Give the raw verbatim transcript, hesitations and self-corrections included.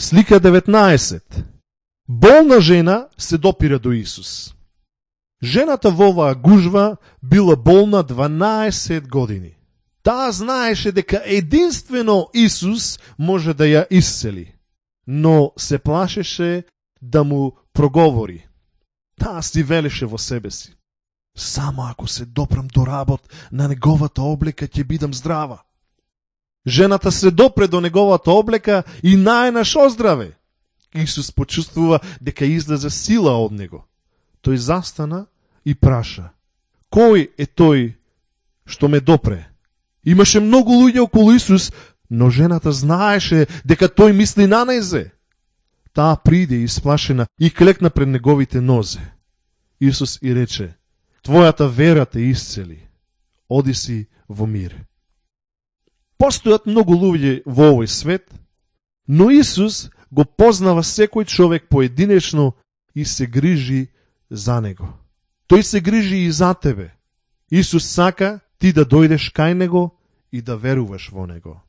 Слика деветнаесет. Болна жена се допира до Исус. Жената во оваа гужва била болна дванаесет години. Таа знаеше дека единствено Исус може да ја исцели, но се плашеше да му проговори. Таа си велеше во себе си: само ако се допрам до работ на неговата облека, ќе бидам здрава. Жената се допре до неговата облека и најнаш оздраве. Исус почувствува дека излезе сила од него. Тој застана и праша: кој е тој што ме допре? Имаше многу луѓе околу Исус, но жената знаеше дека тој мисли на најзе. Таа приде исплашена и клекна пред неговите нозе. Исус и рече: твојата вера те исцели. Оди си во мир. Постојат многу луѓе во овој свет, но Исус го познава секој човек поединечно и се грижи за него. Тој се грижи и за тебе. Исус сака ти да дојдеш кај него и да веруваш во него.